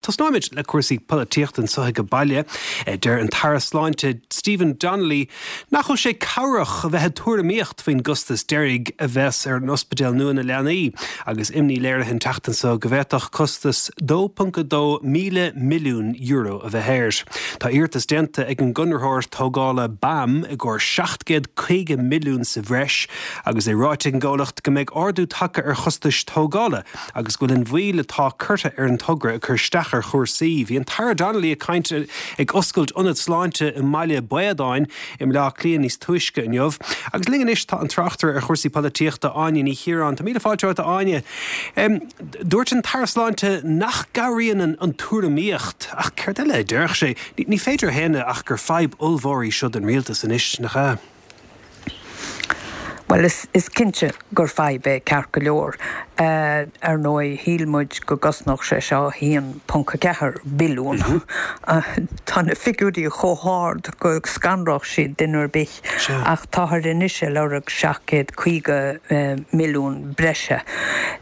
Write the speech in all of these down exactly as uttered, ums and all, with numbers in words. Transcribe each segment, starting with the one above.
Tosnóimid le cúrsaí polaitíochta anseo ag baile. Deir an tAire Sláinte Stephen Donnelly nach bhfuil sé cabhrach a bheith ag tuairimíocht faoin gcostas deiridh a bheas ar an ospidéal nua na leanaí, agus imní léirithe an tseachtain seo go bhféadfadh costas dó ponc dó míle milliún euro a bheith air. Tá iarratas déanta ag an gconraitheoir tógála BAM i gcomhair seacht gcéad caoga milliún sa bhreis, agus é ráite ag an gcomhlacht go mbeidh ardú tagtha ar chostais tógála agus go bhfuil an mhoill atá curtha ar an togra ag cur isteach ar chúrsaí. Bhí an tAire Donnelly ag caint ag oscailt ionad sláinte i mBaile Baodáin i mBleá Cliath níos túisce inniu. Agus linn anois tá an tráchtaire ar chúrsaí polaitíochta Áine Ní Chiaráin. Tá míle fáilte romhat, a Áine. Dúirt an tAire Sláinte nach gcabhraíonn an, an tuairimíocht, ach céard eile a déarfadh sé? Ní, ní féidir a shéanadh ach gur fadhb ollmhór í seo don rialtas anois, nach ea? Well is, is cinnte gur fadhb é ceart go leor. Uh, ar ndóigh shíl muid go gcosnódh sé seo haon ponc ceathair billiún. Mm -hmm. uh, Tá na figiúirí chomh hard go scanródh siad duine ar bith ach táthar anois ag lorg seacht gcéad caoga uh, milliún breise.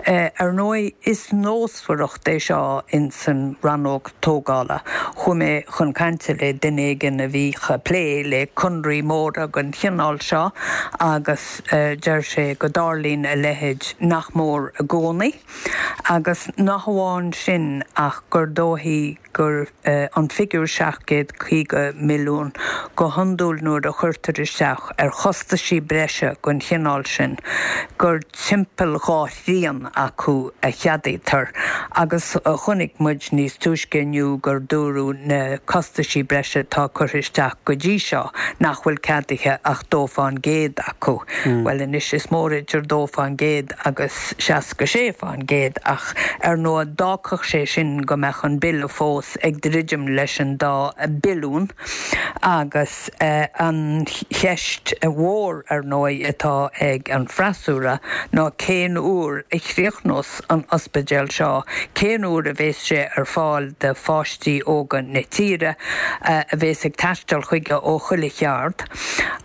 Uh, ar ndóigh is nósmhaireacht é seo in san rannóg tógála. Chuaigh mé chun cainte le duine éigin a bhí ag plé le conraí móra den chineál seo agus uh, deir sé go dtarlaíonn a leithéid nach mór i gcónaí, agus nach amháin sin ach gur dóichí gur uh, an figiúr seacht gcéad caoga milliún go hiondúil nuair a chuirtear isteach ar chostaisí breise den chineál sin, gur timpeall dhá thrian acu a cheadaítear, agus uh, chonaic muid níos túisce inniu gur dúradh na costaisí breise atá curtha isteach go dtí seo nach bhfuil ceadaithe ach dó faoin gcéad acu. Mm. Well anois is mór idir dó faoin gcéad agus seasca sé faoin gcéad ach ar ndóigh d'fhágfadh sé sin go mbeadh an bille fós ag druidim leis an dá billiún agus uh, an cheist mhór ar ndóigh atá ag an freasúra ná cén uair a chríochnós an ospidéal seo, cén uair a bheas sé ar fáil do pháistí óga na tíre uh, a bheas ag taisteal chuige ó chuile cheard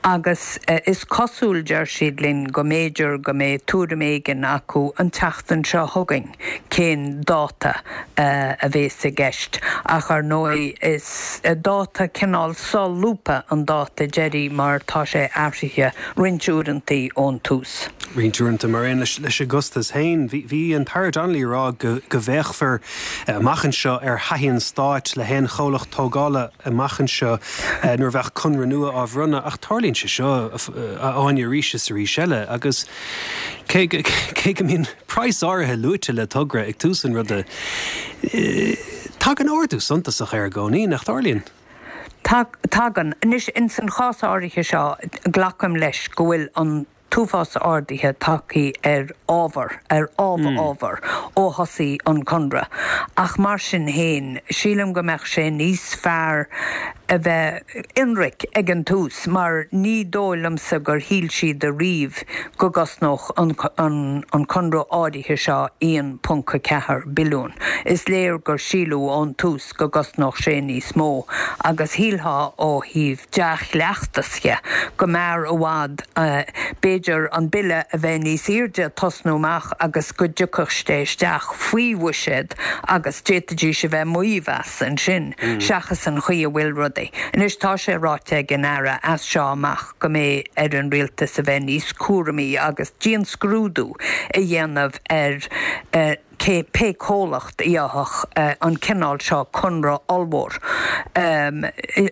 agus uh, is cosúil deir siad linn go mb'fhéidir go mbeidh tuairim éigin acu an tseachtain seo chugainn cén dáta uh, a bheas i gceist ach ar ndóigh is dáta cineál solúbtha an dáta deiridh mar tá sé athraithe roinnt uaireanta ón tús. Roinnt uaireanta mar aon leis leis an gcostas féin, bhí an tAire Donnelly rá go go bhféachfar amach anseo ar thaithí an stáit le haon chomhlacht tógála amach anseo nuair a bheadh conradh nua á bhronnadh ach tarlaíonn sé seo a Áine arís is arís eile agus cé cé go mbíonn praghas áirithe luaite le togra ag tús an ruda. Tagann ardú suntasach air i gcónaí nach dtarlaíonn. Tagann anois in san chás áirithe seo glacaim leis go bhfuil an t-uafás arduithe tagtha ar ábhar ar ábhar mm. ábhar ó thosaigh an conradh. Ach mar sin féin sílim go mbeadh sé níos fearr a bheith ionraic ag an tús mar ní dóigh liomsa gur shíl siad riamh go gcosnódh an, an, an conradh áirithe seo aon ponc ceathair billiún. Is léir gur síleadh ón tús go gcosnódh sé níos mó, agus shílfeá ó thaobh dea-chleachtas dhe go mb'fhearr i bhfad uh, b'fhéidir an bille a bheith níos airde tosnú amach agus go dtiocfadh sé isteach faoi bhuiséad agus d'fhéadfaidís a bheith ag maíomh as ansin mm. seachas an chaoi a bhfuil rudaí. Anois tá sé ráite ag an Aire as seo amach go mbeidh ar an rialtas a bheith níos cúramaí agus dianscrúdú a dhéanamh ar uh, cé pé comhlacht a fhaigheadh uh, an cineál seo conradh ollmhór. Um,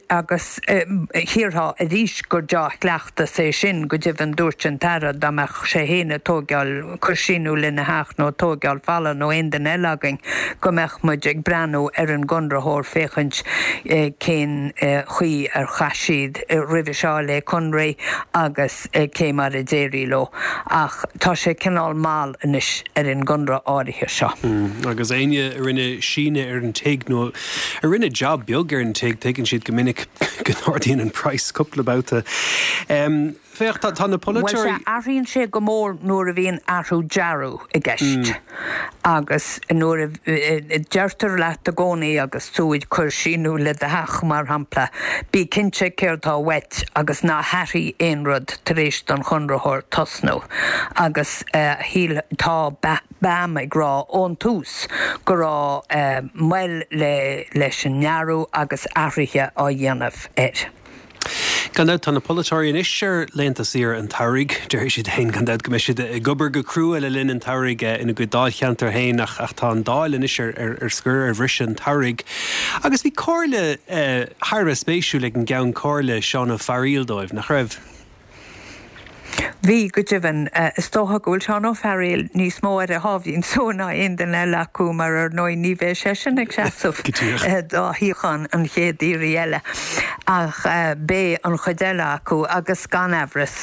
agus um, shílfeá arís gur dea-chleachtas é sin go deimhin dúirt an tAire dá mbeadh sé féin ag tógáil cur síneadh lena theach nó tógáil falla nó aon duine eile againn go mbeadh muid ag breathnú ar an gconraitheoir féachaint eh, cén eh, chaoi ar chaith siad eh, roimhe seo le conraí agus eh, cé mar a d'éirigh leo ach tá sé cineál mall anois ar an gconradh áirithe seo. Mm, agus éinne a rinne síneadh ar an tigh nó a rinne job beag ar ar an tigh, tuigeann siad go minic go n-ardaíonn an praghas cúpla babhta. Féach, tá na polaiteoirí. Bhuel, sea, athraíonn sé go mór nuair a bhíonn athrú dearadh i gceist. Agus nuair a deirtear leat i gcónaí agus tú ag cur síniú le do theach, mar shampla, bí cinnte céard tá uait agus ná hathraigh aon rud tar éis don chonraitheoir tosnú. Agus shíl, tá BAM ag rá ón tús go raibh moill le leis an ndearadh agus athruithe á dhéanamh air. Gan dabht, tá na polaiteoirí anois ar laethanta saoire an tsamhraidh. Déarfaidh siad féin gan dabht go mbeidh siad ag obair go crua le linn an tsamhraidh ina gcuid dáilcheantar féin ach ach tá an Dáil anois ar ar ar scor ar bhriseadh an tsamhraidh. Agus bhí comhairle thar a bheith spéisiúil ag an gCeann Comhairle, Seán Ó Fearghaíl dóibh, nach raibh? Bhí, go deimhin. Is dócha go bhfuil Seán Ó Fearghaíl níos mó ar a sháimhín só ná aon duine eile acu mar ar ndóigh ní bheidh seisean ag seasamh do shuíochán an chéad iarraidh eile. Ach beidh an chuid eile acu agus gan amhras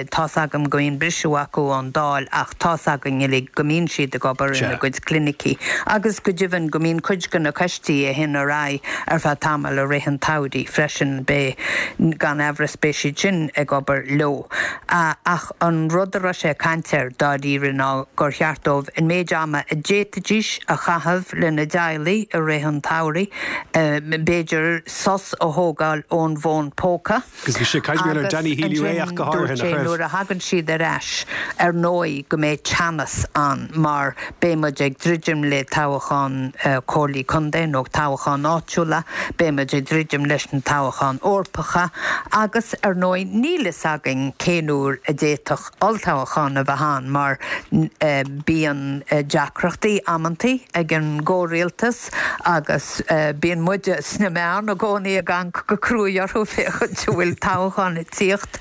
tá's agam go mbíonn briseadh acu ón Dáil ach tá's againn uilig go mbíonn siad ag obair ina gcuid clinicí agus go deimhin go mbíonn cuid de na coistí a théann ar aghaidh ar feadh tamaill i rith an tsamhraidh freisin. Beidh, gan amhras beidh siad sin ag obair leo. Ach an rud a raibh sé ag caint air dáiríre ná gur cheart dóibh an méid ama a d'fhéadfaidís a chaitheamh lena dteaghlaigh i rith an tsamhraidh, b'fhéidir sos a thógáil ón bhfón póca. Agus bhí sé ag caint ar Danny Healy-Rae ach go háirithe, nach raibh? Nuair a thagann siad ar ais, ar ndóigh go mbeidh teannas ann mar beidh muid ag druidim le toghchán comhairlí contae nó toghcháin áitiúla, beidh muid ag druidim leis na toghcháin Eorpacha agus ar ndóigh níl fhios againn cén uair a d'fhéadfadh olltoghchán a bheith ann mar bíonn deacrachtaí amantaí ag an gcomhrialtas agus bíonn muide sna meáin i gcónaí ag amharc go cruaidh orthu féachaint an bhfuil toghchán ag tíocht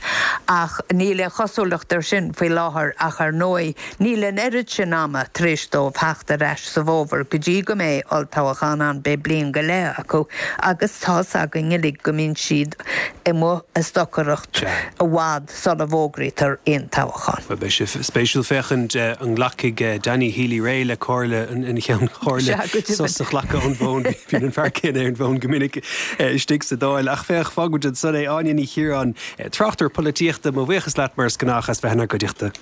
ach níl aon chosúlacht air sin faoi láthair ach ar ndóigh níl an oiread sin ama tar éis dóibh theacht ar ais sa bhfómhar go dtí go mbeidh olltoghchán ann, beidh bliain go leith acu agus tá's againn uilig go mbíonn siad amuigh ag stocaireacht i bhfad sula bhfógraítear aon toghchán. Bhuel, beidh sé spéisiúil féachaint an nglacfaidh Danny Healy-Rae le comhairle an Cheann Chomhairle sos a ghlacadh ón bhfón. Bíonn an fear céanna ar an bhfón go minic istigh sa Dáil. Ach féach, fágfaidh muid ansan é. Áine Ní Chiaráin, tráchtaire polaitíochta, mo bhuíochas leat mar is gnách as bheith inár gcuideachta.